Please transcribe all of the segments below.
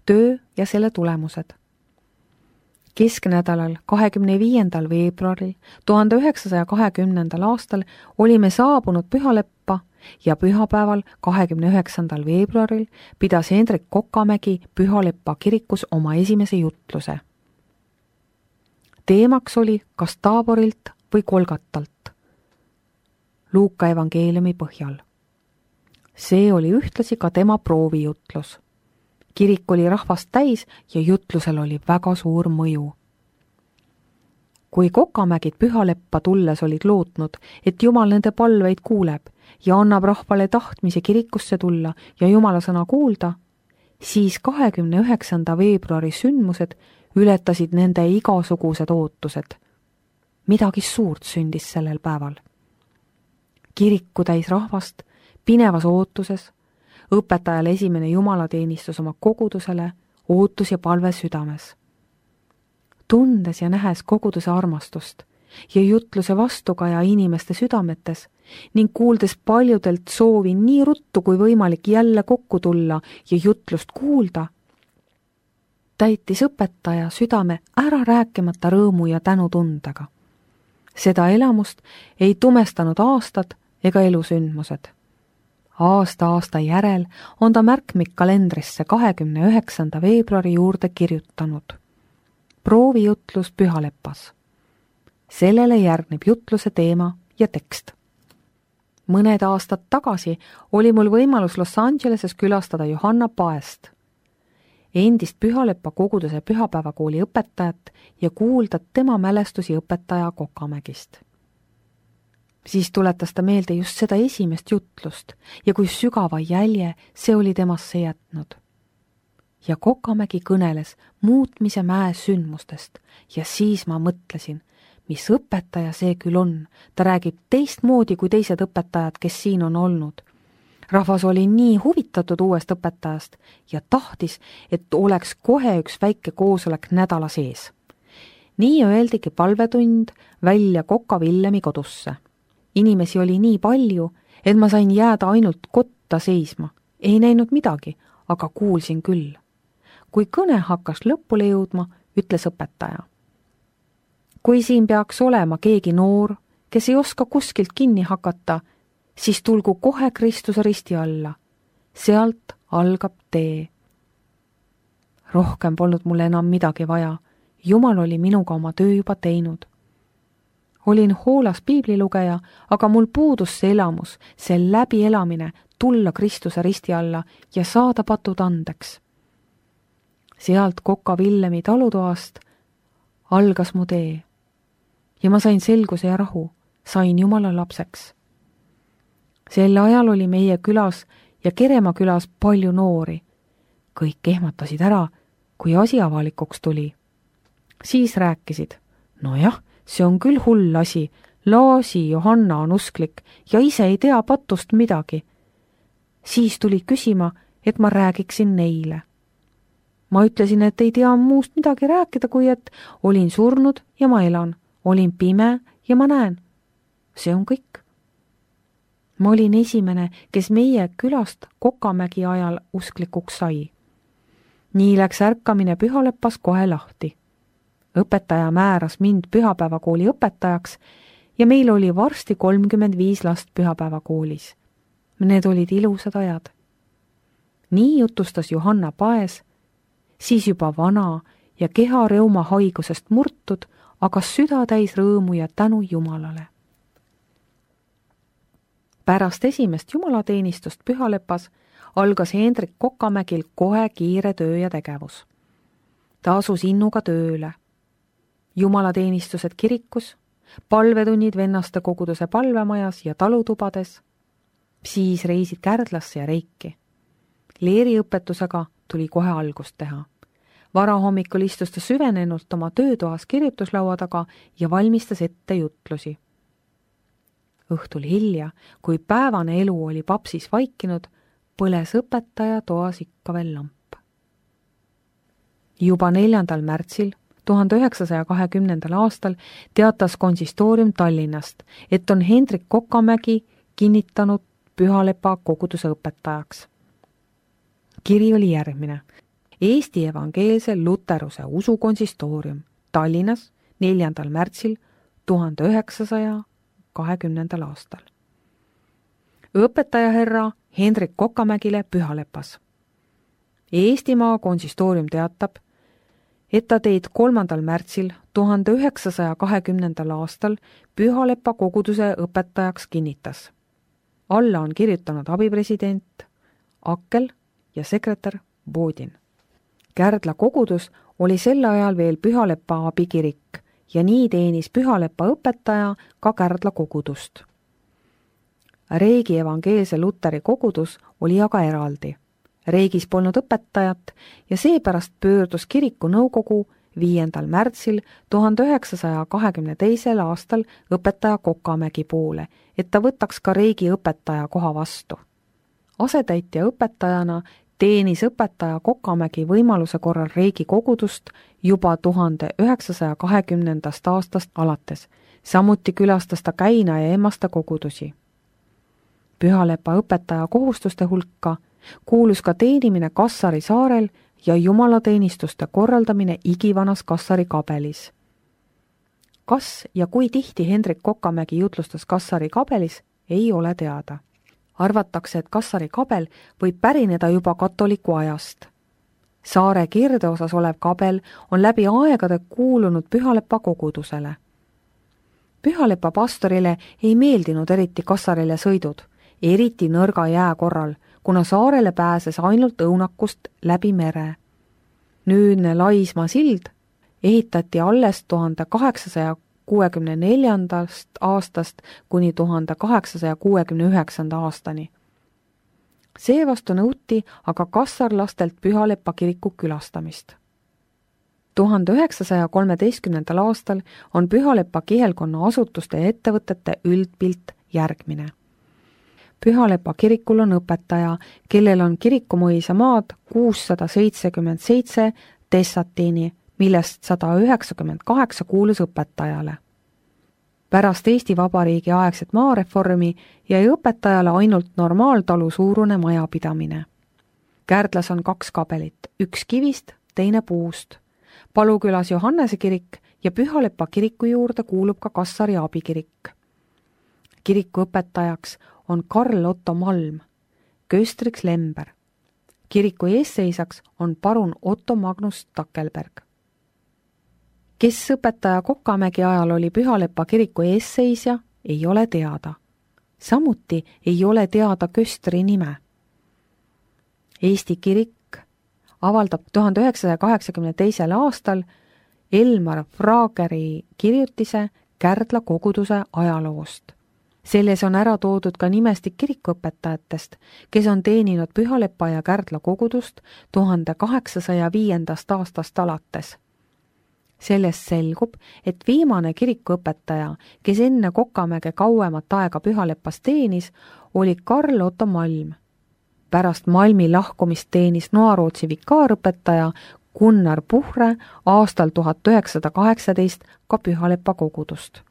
töö ja selle tulemused. Kesknädalal 25. veebruaril 1920. aastal olime saabunud Pühaleppa ja pühapäeval 29. veebruaril pidas Hendrik Kokamägi Pühaleppa kirikus oma esimese jutluse. Teemaks oli kas Taaborilt või Kolgatalt, Luuka evangeeliumi põhjal. See oli ühtlasi ka tema proovijutlus. Kirik oli rahvast täis ja jutlusel oli väga suur mõju. Kui Kokamägid Pühaleppa tulles olid lootnud, et Jumal nende palveid kuuleb ja annab rahvale tahtmise kirikusse tulla ja Jumala sõna kuulda, siis 29. veebruari sündmused ületasid nende igasugused ootused. Midagi suurt sündis sellel päeval. Kiriku täis rahvast, pinevas ootuses, õpetajal esimene jumalateenistus oma kogudusele, ootus ja palve südames. Tundes ja nähes koguduse armastust ja jutluse vastukaja inimeste südametes ning kuuldes paljudelt soovi nii ruttu kui võimalik jälle kokku tulla ja jutlust kuulda, täitis õpetaja südame ära rääkimata rõõmu ja tänutundega. Seda elamust ei tumestanud aastad ega elusündmused. Aasta järel on ta märkmik kalendrisse 29. veebruari juurde kirjutanud. Proovijutlus Pühaleppas. Sellele järgneb jutluse teema ja tekst. Mõned aastad tagasi oli mul võimalus Los Angeleses külastada Johanna Paest, endist Pühaleppa koguduse pühapäevakooli õpetajat ja kuulda tema mälestusi õpetaja Kokamägist. Siis tuletas ta meelde just seda esimest jutlust ja kui sügava jälje see oli temasse jätnud. Ja Kokamägi kõneles muutmise mäe sündmustest ja siis ma mõtlesin, mis õpetaja see küll on. Ta räägib teistmoodi kui teised õpetajad, kes siin on olnud. Rahvas oli nii huvitatud uuest õpetajast ja tahtis, et oleks kohe üks väike koosolek nädala sees. Nii öeldigi palvetund välja Koka Villemi kodusse. Inimesi oli nii palju, et ma sain jääda ainult kotta seisma. Ei näinud midagi, aga kuulsin küll. Kui kõne hakkas lõpule jõudma, ütles õpetaja. Kui siin peaks olema keegi noor, kes ei oska kuskilt kinni hakata, siis tulgu kohe Kristuse risti alla. Sealt algab tee. Rohkem polnud mulle enam midagi vaja. Jumal oli minuga oma töö juba teinud. Olin hoolas piiblilugeja, aga mul puudus see elamus, see läbielamine tulla Kristuse risti alla ja saada patud andeks. Sealt Koka Villemi talutoast algas mu tee. Ja ma sain selguse ja rahu, sain Jumala lapseks. Sel ajal oli meie külas ja Keremaa külas palju noori. Kõik ehmatasid ära, kui asi avalikuks tuli. Siis rääkisid, nojah, see on küll hull asi, Laasi Johanna on usklik ja ise ei tea patust midagi. Siis tuli küsima, et ma räägiksin neile. Ma ütlesin, et ei tea muust midagi rääkida, kui et olin surnud ja ma elan, olin pime ja ma näen. See on kõik. Ma olin esimene, kes meie külast Kokamägi ajal usklikuks sai. Nii läks ärkamine Pühaleppas kohe lahti. Õpetaja määras mind pühapäevakooli õpetajaks ja meil oli varsti 35 last pühapäevakoolis. Need olid ilusad ajad. Nii jutustas Johanna Paes, siis juba vana ja kehareuma haigusest murtud, aga süda täis rõõmu ja tänu Jumalale. Pärast esimest jumalateenistust Pühaleppas algas Hendrik Kokamägil kohe kiire töö ja tegevus. Ta asus innuga tööle. Jumalateenistused kirikus, palvetunnid vennaste koguduse palvemajas ja talutubades, siis reisid Kärdlasse ja Reiki. Leeriõpetusega tuli kohe algust teha. Varahommikul istus ta süvenenult oma töötoas kirjutuslaua taga ja valmistas ette jutlusi. Õhtul hilja, kui päevane elu oli papsis vaikinud, põles õpetaja toas ikka veel lamp. Juba 4. märtsil 1920. aastal teatas konsistoorium Tallinnast, et on Hendrik Kokamägi kinnitanud Pühaleppa koguduse õpetajaks. Kiri oli järgmine. Eesti Evangeelse Luteruse Usukonsistoorium Tallinnas 4. märtsil 1920. aastal. Õpetaja härra Hendrik Kokamägile Pühalepas. Eestimaa konsistoorium teatab, et ta teid 3. märtsil 1920. aastal Pühalepa koguduse õpetajaks kinnitas. Alla on kirjutanud abipresident Akkel ja sekretär Bodin. Kärdla kogudus oli sel ajal veel Pühalepa abikirik ja nii teenis Pühalepa õpetaja ka Kärdla kogudust. Reegi Evangeelse Luteri kogudus oli aga eraldi. Riigis polnud õpetajat ja seepärast pöördus kiriku nõukogu 5. märtsil 1922. aastal õpetaja Kokamägi poole, et ta võtaks ka riigi õpetaja koha vastu. Asetäitja õpetajana teenis õpetaja Kokamägi võimaluse korral riigi kogudust juba 1920. aastast alates. Samuti külastas ta Käina ja Emmaste kogudusi. Pühalepa õpetaja kohustuste hulka kuulus ka teenimine Kassari saarel ja jumalateenistuste korraldamine igivanas Kassari kabelis. Kas ja kui tihti Hendrik Kokamägi jutlustas Kassari kabelis, ei ole teada. Arvatakse, et Kassari kabel võib pärineda juba katoliku ajast. Saare kirdeosas olev kabel on läbi aegade kuulunud Pühalepa kogudusele. Pühalepa pastorile ei meeldinud eriti Kassarile sõidud, eriti nõrga jää korral, kuna saarele pääses ainult õunakust läbi mere. Nüüdne Laismaa sild ehitati alles 1864. aastast kuni 1869. aastani. Seevastu nõuti aga kassarlastelt Pühalepa kiriku külastamist. 1913. aastal on Pühalepa kihelkonna asutuste ja ettevõtete üldpilt järgmine. Pühalepa kirikul on õpetaja, kellel on kirikumõisa maad 677 tessatiini, millest 198 kuulus õpetajale. Pärast Eesti Vabariigi aegset maareformi jäi õpetajale ainult normaaltalu suurune majapidamine. Kärdlas on 2 kabelit, üks kivist, teine puust. Palukülas Johannese kirik ja Pühalepa kiriku juurde kuulub ka Kassari abikirik. Kiriku õpetajaks on Karl Otto Malm, köstriks Lember. Kiriku eesseisaks on parun Otto Magnus Takelberg. Kes õpetaja Kokamägi ajal oli Pühalepa kiriku eesseisja, ei ole teada. Samuti ei ole teada köstri nime. Eesti kirik avaldab 1982. aastal Elmar Frageri kirjutise Kärdla koguduse ajaloost. Selles on ära toodud ka nimestik kirikuõpetajatest, kes on teeninud Pühalepa ja Kärdla kogudust 1805. aastast alates. Sellest selgub, et viimane kirikuõpetaja, kes enne Kokamäge kauemat aega Pühalepas teenis, oli Karl Otto Malm. Pärast Malmi lahkumist teenis Noarootsi vikaarõpetaja Gunnar Puhre aastal 1918 ka Pühalepa kogudust.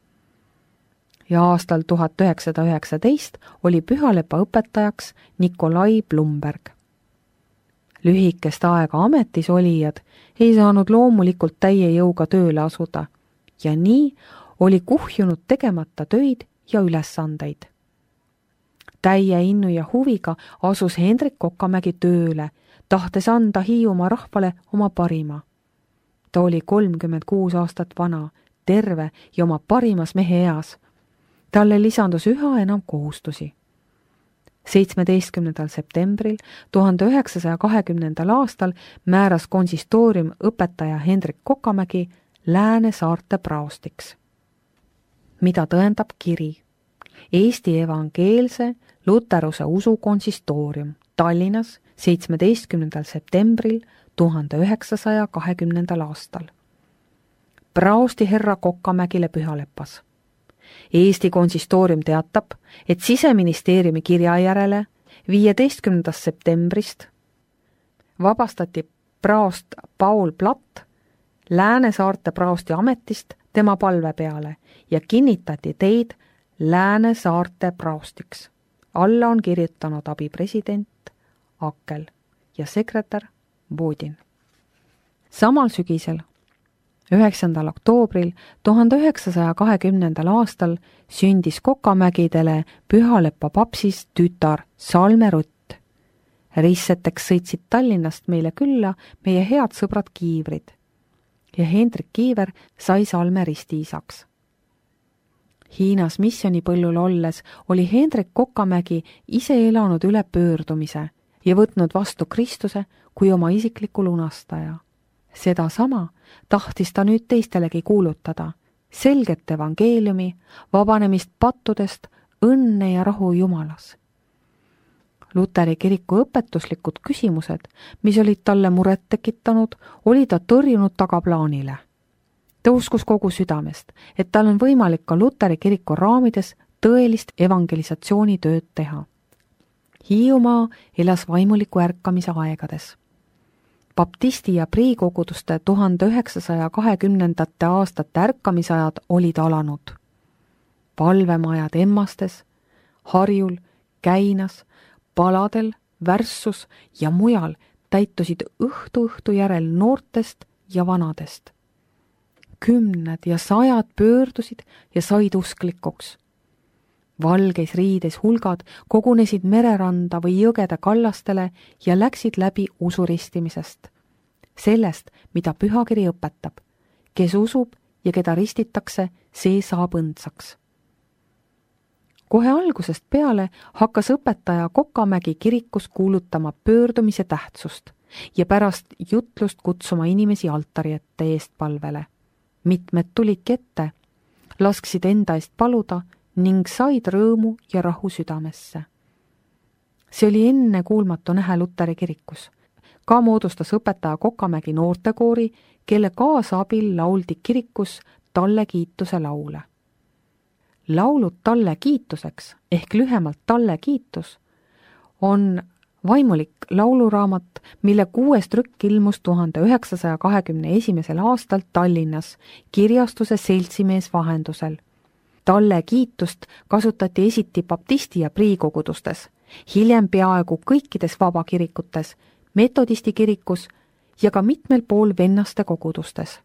Ja aastal 1919 oli Pühalepa õpetajaks Nikolai Blumberg. Lühikest aega ametis olijad ei saanud loomulikult täie jõuga tööle asuda ja nii oli kuhjunud tegemata töid ja ülesandeid. Täie innu ja huviga asus Hendrik Kokamägi tööle, tahtes anda Hiiumaa rahvale oma parima. Ta oli 36 aastat vana, terve ja oma parimas mehe eas. Talle lisandus üha enam kohustusi. 17. septembril 1920. aastal määras konsistoorium õpetaja Hendrik Kokamägi Lääne-Saarte praostiks. Mida tõendab kiri? Eesti Evangeelse Luteruse Usukonsistoorium Tallinnas 17. septembril 1920. aastal. Praosti herra Kokamägile Pühalepas. Eesti konsistoorium teatab, et Siseministeeriumi kirja järele 15. septembrist vabastati praost Paul Platt Lääne-Saarte praosti ametist tema palve peale ja kinnitati teid Lääne-Saarte praostiks. Alla on kirjutanud abipresident Akkel ja sekretär Bodin. Samal sügisel, 9. oktoobril 1920. aastal sündis Kokamägidele Pühalepa papsist tütar Salme Rutt. Risseteks sõitsid Tallinnast meile külla meie head sõbrad Kiivrid ja Hendrik Kiiver sai Salme ristiisaks. Hiinas missionipõllul olles oli Hendrik Kokamägi ise elanud üle pöördumise ja võtnud vastu Kristuse kui oma isikliku lunastaja. Sedasama tahtis ta nüüd teistelegi kuulutada, selget evangeeliumi, vabanemist pattudest, õnne ja rahu Jumalas. Luteri kiriku õpetuslikud küsimused, mis olid talle muret tekitanud, oli ta tõrjunud tagaplaanile. Ta uskus kogu südamest, et tal on võimalik ka Luteri kiriku raamides tõelist evangelisatsioonitööd teha. Hiiumaa elas vaimuliku ärkamise aegades. Baptisti ja priikoguduste 1920. aastate ärkamisajad olid alanud. Palvemajad Emmastes, Harjul, Käinas, Paladel, Värssus ja mujal täitusid õhtu järel noortest ja vanadest. Kümned ja sajad pöördusid ja said usklikuks. Valgeis riides hulgad kogunesid mereranda või jõgede kallastele ja läksid läbi usuristimisest. Sellest, mida pühakiri õpetab. Kes usub ja keda ristitakse, see saab õndsaks. Kohe algusest peale hakkas õpetaja Kokamägi kirikus kuulutama pöördumise tähtsust ja pärast jutlust kutsuma inimesi altari ette eestpalvele. Mitmed tulidki ette, lasksid enda eest paluda ning said rõõmu ja rahu südamesse. See oli enne kuulmatu nähe Luteri kirikus. Ka moodustas õpetaja Kokamägi noortekoori, kelle kaasabil lauldi kirikus talle kiituse laule. Laulud talle kiituseks ehk lühemalt talle kiitus on vaimulik lauluraamat, mille 6. trükk ilmus 1921. aastal Tallinnas kirjastuse Seltsimees vahendusel. Talle kiitust kasutati esiti baptisti ja priikogudustes, hiljem peaaegu kõikides vabakirikutes, metodisti kirikus ja ka mitmel pool vennaste kogudustes.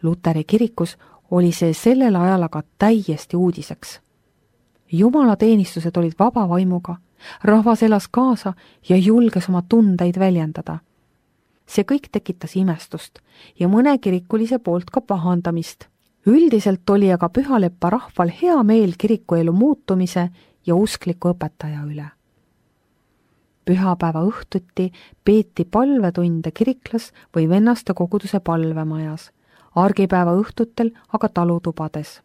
Luteri kirikus oli see sellel ajal aga täiesti uudiseks. Jumalateenistused olid vaba vaimuga, rahvas elas kaasa ja julges oma tundeid väljendada. See kõik tekitas imestust ja mõne kirikulise poolt ka pahandamist. Üldiselt oli aga Pühalepa rahval hea meel kirikuelu muutumise ja uskliku õpetaja üle. Pühapäeva õhtuti peeti palvetunde kiriklas või vennaste koguduse palvemajas, argipäeva õhtutel aga talutubades.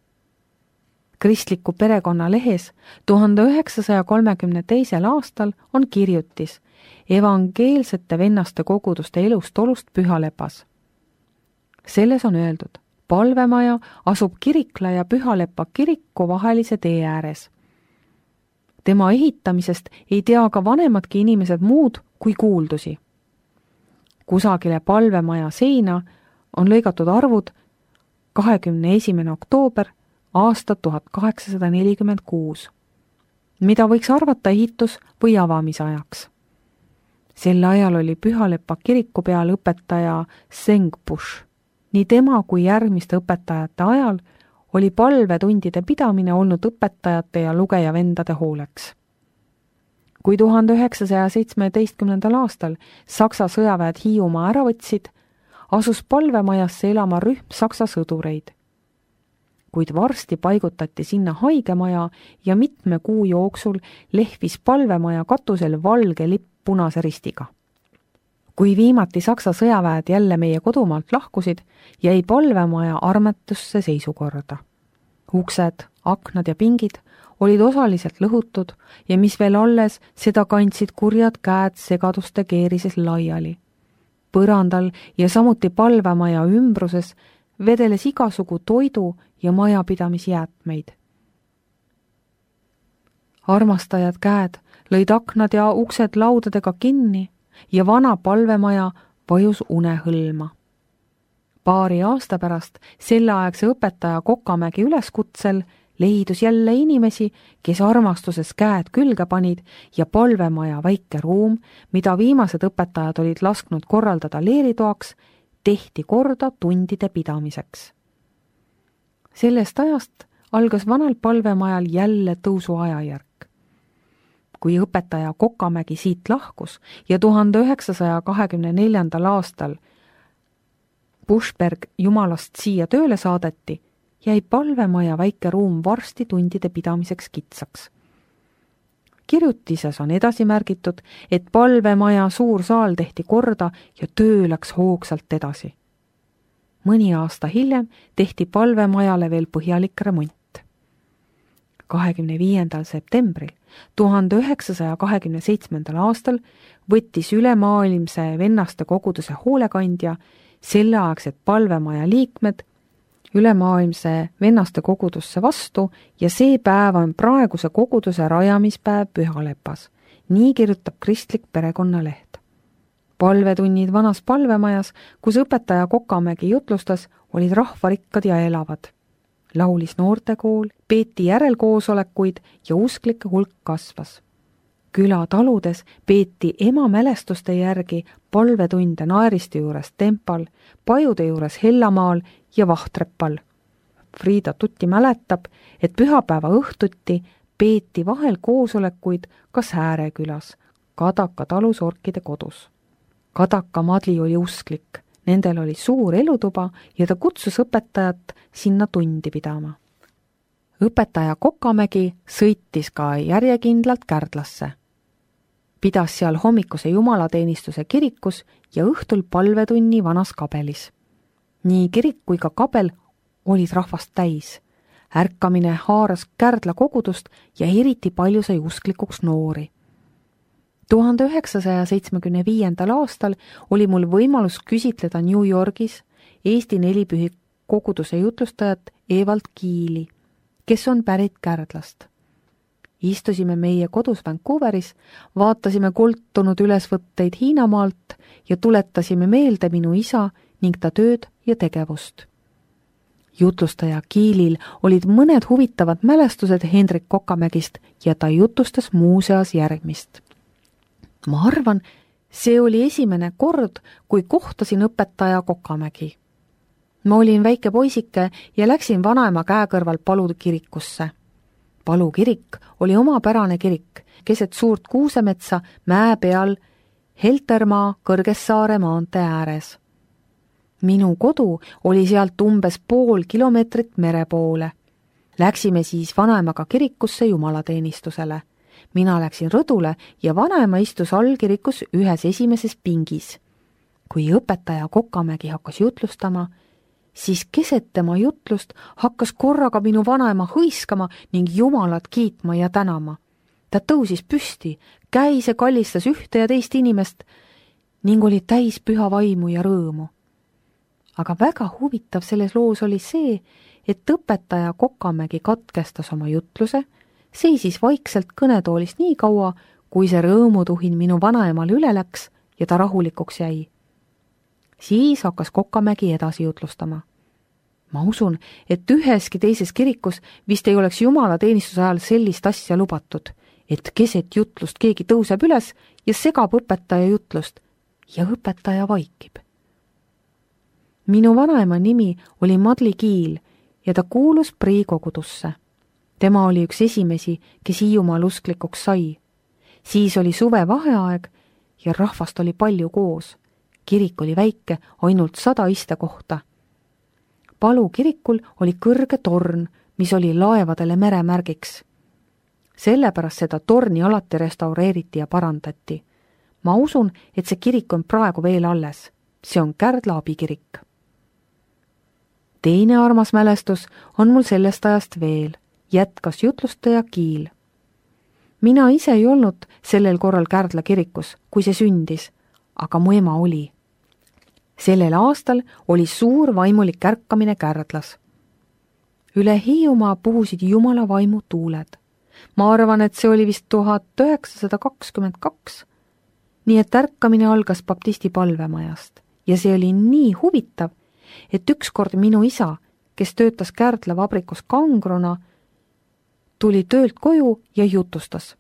Kristliku perekonna lehes 1932. aastal on kirjutis evangeelsete vennaste koguduste elust-olust Pühalepas. Selles on öeldud, palvemaja asub Kirikla ja Pühalepa kiriku vahelise tee ääres. Tema ehitamisest ei tea ka vanemadki inimesed muud kui kuuldusi. Kusagile palvemaja seina on lõigatud arvud 21. oktoober aasta 1846, mida võiks arvata ehitus- või avamisajaks. Sel ajal oli Pühalepa kiriku peal õpetaja Sengbush. Nii tema kui järgmiste õpetajate ajal oli palvetundide pidamine olnud õpetajate ja lugejavendade hooleks. Kui 1917. aastal Saksa sõjaväed Hiiumaa ära võtsid, asus palvemajasse elama rühm saksa sõdureid. Kuid varsti paigutati sinna haigemaja ja mitme kuu jooksul lehvis palvemaja katusel valge lipp punase ristiga. Kui viimati saksa sõjaväed jälle meie kodumaalt lahkusid, jäi palvemaja armetusse seisukorda. Uksed, aknad ja pingid olid osaliselt lõhutud ja mis veel alles, seda kandsid kurjad käed segaduste keerises laiali. Põrandal ja samuti palvemaja ümbruses vedeles igasugu toidu ja majapidamisjäätmeid. Armastajad käed lõid aknad ja uksed laudadega kinni ja vana palvemaja vajus unehõlma. Paari aasta pärast selleaegse õpetaja Kokamägi üleskutsel leidus jälle inimesi, kes armastuses käed külge panid ja palvemaja väike ruum, mida viimased õpetajad olid lasknud korraldada leeritoaks, tehti korda tundide pidamiseks. Sellest ajast algas vanal palvemajal jälle tõusuajajärk. Kui õpetaja Kokamägi siit lahkus ja 1924. aastal Buschberg Jumalast siia tööle saadeti, jäi palvemaja väike ruum varsti tundide pidamiseks kitsaks. Kirjutises on edasi märgitud, et palvemaja suur saal tehti korda ja töö läks hoogsalt edasi. Mõni aasta hiljem tehti palvemajale veel põhjalik remont. 25. septembril 1927. aastal võttis ülemaailmse vennaste koguduse hoolekandja selleaegsed palvemaja liikmed ülemaailmse vennaste kogudusse vastu ja see päev on praeguse koguduse rajamispäev Pühalepas. Nii kirjutab kristlik perekonnaleht. Palvetunnid vanas palvemajas, kus õpetaja Kokamägi jutlustas, olid rahvarikkad ja elavad. Laulis noortekool, peeti järelkoosolekuid ja usklike hulk kasvas. Külataludes peeti ema mälestuste järgi palvetunde Naeriste juures Tempal, Pajude juures Hellamaal ja Vahtrepal. Friida Tutti mäletab, et pühapäeva õhtuti peeti vahel koosolekuid ka Säärekülas, Kadaka talusorkide kodus. Kadaka Madli oli usklik, nendel oli suur elutuba ja ta kutsus õpetajat sinna tundi pidama. Õpetaja Kokamägi sõitis ka järjekindlalt Kärdlasse. Pidas seal hommikuse jumalateenistuse kirikus ja õhtul palvetunni vanas kabelis. Nii kirik kui ka kabel olid rahvast täis. Ärkamine haaras Kärdla kogudust ja eriti palju sai usklikuks noori. 1975. aastal oli mul võimalus küsitleda New Yorgis Eesti nelipühi koguduse jutlustajat Evald Kiili, kes on pärit Kärdlast. Istusime meie kodus Vancouveris, vaatasime koltunud ülesvõtteid Hiinamaalt ja tuletasime meelde minu isa ning ta tööd ja tegevust. Jutlustaja Kiilil olid mõned huvitavad mälestused Hendrik Kokamägist ja ta jutustas muuseas järgmist. Ma arvan, see oli esimene kord, kui kohtasin õpetaja Kokamägi. Ma olin väike poisike ja läksin vanaema käe kõrval Palu kirikusse. Palu kirik oli omapärane kirik, keset suurt kuusemetsa mäe peal Heltermaa Kõrgessaare maantee ääres. Minu kodu oli sealt umbes pool kilomeetrit mere poole. Läksime siis vanaemaga kirikusse jumalateenistusele. Mina läksin rõdule ja vanaema istus allkirikus ühes esimeses pingis. Kui õpetaja Kokamägi hakkas jutlustama, siis keset tema jutlust hakkas korraga minu vanaema hõiskama ning Jumalat kiitma ja tänama. Ta tõusis püsti, käis ja kallistas ühte ja teist inimest ning oli täis püha vaimu ja rõõmu. Aga väga huvitav selles loos oli see, et õpetaja Kokamägi katkestas oma jutluse, seisis vaikselt kõnetoolist nii kaua, kui see rõõmutuhin minu vanaemale üle läks ja ta rahulikuks jäi. Siis hakkas Kokamägi edasi jutlustama. Ma usun, et üheski teises kirikus vist ei oleks jumalateenistuse ajal sellist asja lubatud, et keset jutlust keegi tõuseb üles ja segab õpetaja jutlust ja õpetaja vaikib. Minu vanaema nimi oli Madli Kiil ja ta kuulus Prii kogudusse. Tema oli üks esimesi, kes Hiiumaal usklikuks sai. Siis oli suvevaheaeg ja rahvast oli palju koos. Kirik oli väike, ainult 100 istekohta. Palu kirikul oli kõrge torn, mis oli laevadele meremärgiks. Sellepärast seda torni alati restaureeriti ja parandati. Ma usun, et see kirik on praegu veel alles. See on Kärdla abikirik. Teine armas mälestus on mul sellest ajast veel, jätkas jutlustaja Kiil. Mina ise ei olnud sellel korral Kärdla kirikus, kui see sündis, aga mu ema oli. Sellel aastal oli suur vaimulik ärkamine Kärdlas. Üle Hiiumaa puhusid Jumala vaimu tuuled. Ma arvan, et see oli vist 1922, nii et ärkamine algas baptisti palvemajast ja see oli nii huvitav, et ükskord minu isa, kes töötas Kärdla vabrikus kangruna, tuli töölt koju ja jutustas,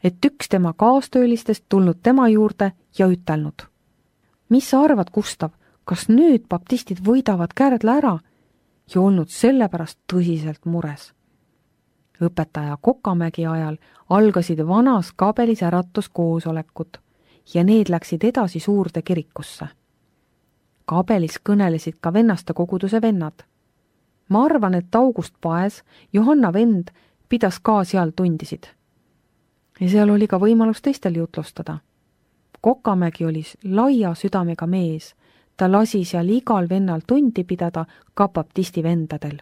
et üks tema kaastöölistest tulnud tema juurde ja ütelnud. Mis sa arvad, Gustav, kas nüüd baptistid võidavad Kärdla ära ja olnud sellepärast tõsiselt mures. Õpetaja Kokamägi ajal algasid vanas Kabelis äratuskoosolekud ja need läksid edasi suurde kirikusse. Kabelis kõnelesid ka vennaste koguduse vennad. Ma arvan, et August Paes, Johanna vend, pidas ka seal tundisid. Ja seal oli ka võimalus teistel jutlustada. Kokamägi oli laia südamega mees. Ta lasi seal igal vennal tundi pidada ka baptisti vendadel.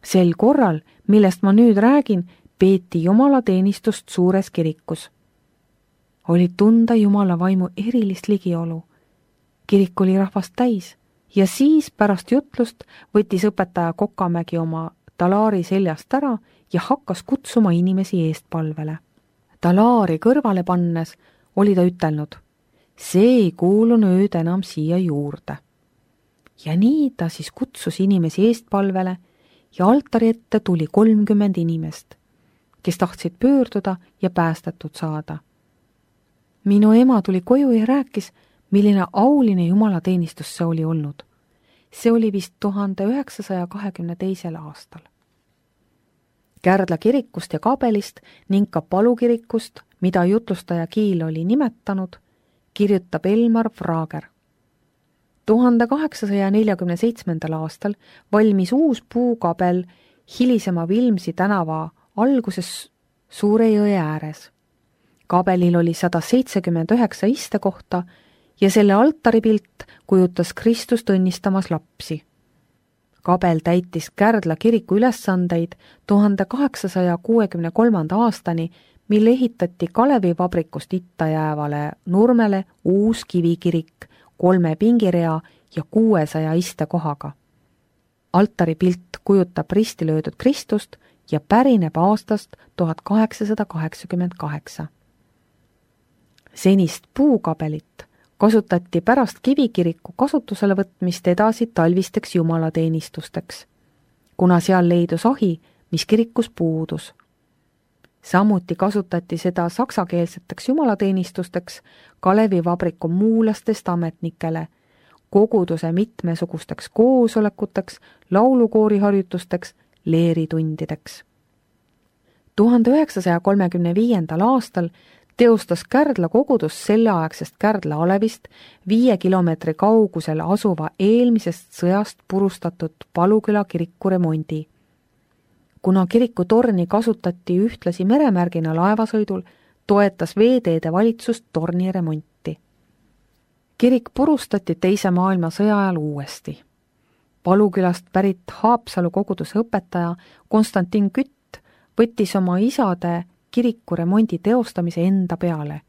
Sel korral, millest ma nüüd räägin, peeti jumalateenistust suures kirikus. Oli tunda Jumala vaimu erilist ligiolu. Kirik oli rahvast täis ja siis pärast jutlust võttis õpetaja Kokamägi oma talaari seljast ära ja hakkas kutsuma inimesi eestpalvele. Talaari kõrvale pannes oli ta ütelnud, see ei kuulu nüüd enam siia juurde. Ja nii ta siis kutsus inimesi eestpalvele ja altari ette tuli 30 inimest, kes tahtsid pöörduda ja päästetud saada. Minu ema tuli koju ja rääkis, milline auline jumalateenistus see oli olnud. See oli vist 1922. aastal. Kärdla kirikust ja Kabelist ning ka Palu kirikust, mida jutlustaja Kiil oli nimetanud, kirjutab Elmar Vrager. 1847. aastal valmis uus puukabel hilisema Vilmsi tänava alguses Suure jõe ääres. Kabelil oli 179 istekohta ja selle altaripilt kujutas Kristust õnnistamas lapsi. Kabel täitis Kärdla kiriku ülesandeid 1863. aastani, mille ehitati Kalevivabrikust itta jäävale nurmele uus kivikirik 3 pingirea ja 600 istekohaga. Altaripilt kujutab risti löödud Kristust ja pärineb aastast 1888. Senist puukabelit kasutati pärast kivikiriku kasutusele võtmist edasi talvisteks jumalateenistusteks, kuna seal leidus ahi, mis kirikus puudus. Samuti kasutati seda saksakeelseteks jumalateenistusteks Kalevivabriku muulastest ametnikele, koguduse mitmesugusteks koosolekuteks, laulukooriharjutusteks, leeritundideks. 1935. aastal teostas Kärdla kogudus selleaegsest Kärdla alevist 5 kilomeetri kaugusel asuva eelmisest sõjast purustatud Paluküla kiriku remondi. Kuna kiriku torni kasutati ühtlasi meremärgina laevasõidul, toetas veeteede valitsust torni remonti. Kirik purustati Teise maailmasõja ajal uuesti. Palukülast pärit Haapsalu koguduse õpetaja Konstantin Kütt võttis oma isade kiriku remondi teostamise enda peale,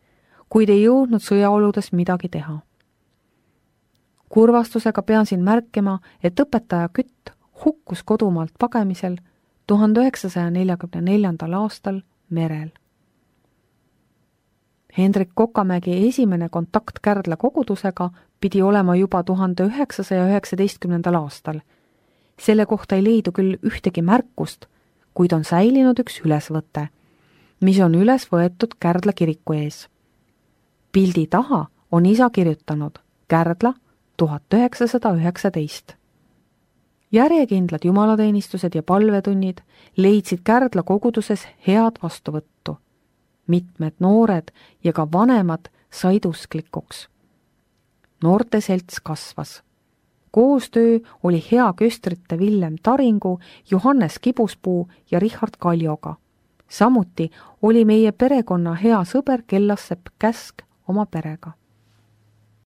kuid ei jõudnud sõjaoludes midagi teha. Kurvastusega pean siin märkima, et õpetaja Kütt hukkus kodumaalt pagemisel 1944. aastal merel. Hendrik Kokamägi esimene kontakt Kärdla kogudusega pidi olema juba 1919. aastal. Selle kohta ei leidu küll ühtegi märkust, kuid on säilinud üks ülesvõte, mis on üles võetud Kärdla kiriku ees. Pildi taha on isa kirjutanud Kärdla 1919. Järjekindlad jumalateenistused ja palvetunnid leidsid Kärdla koguduses head vastuvõttu. Mitmed noored ja ka vanemad said usklikuks. Noorte selts kasvas. Koostöö oli hea köstrite Villem Taringu, Johannes Kibuspuu ja Richard Kaljoga. Samuti oli meie perekonna hea sõber Kellassepp Käsk oma perega.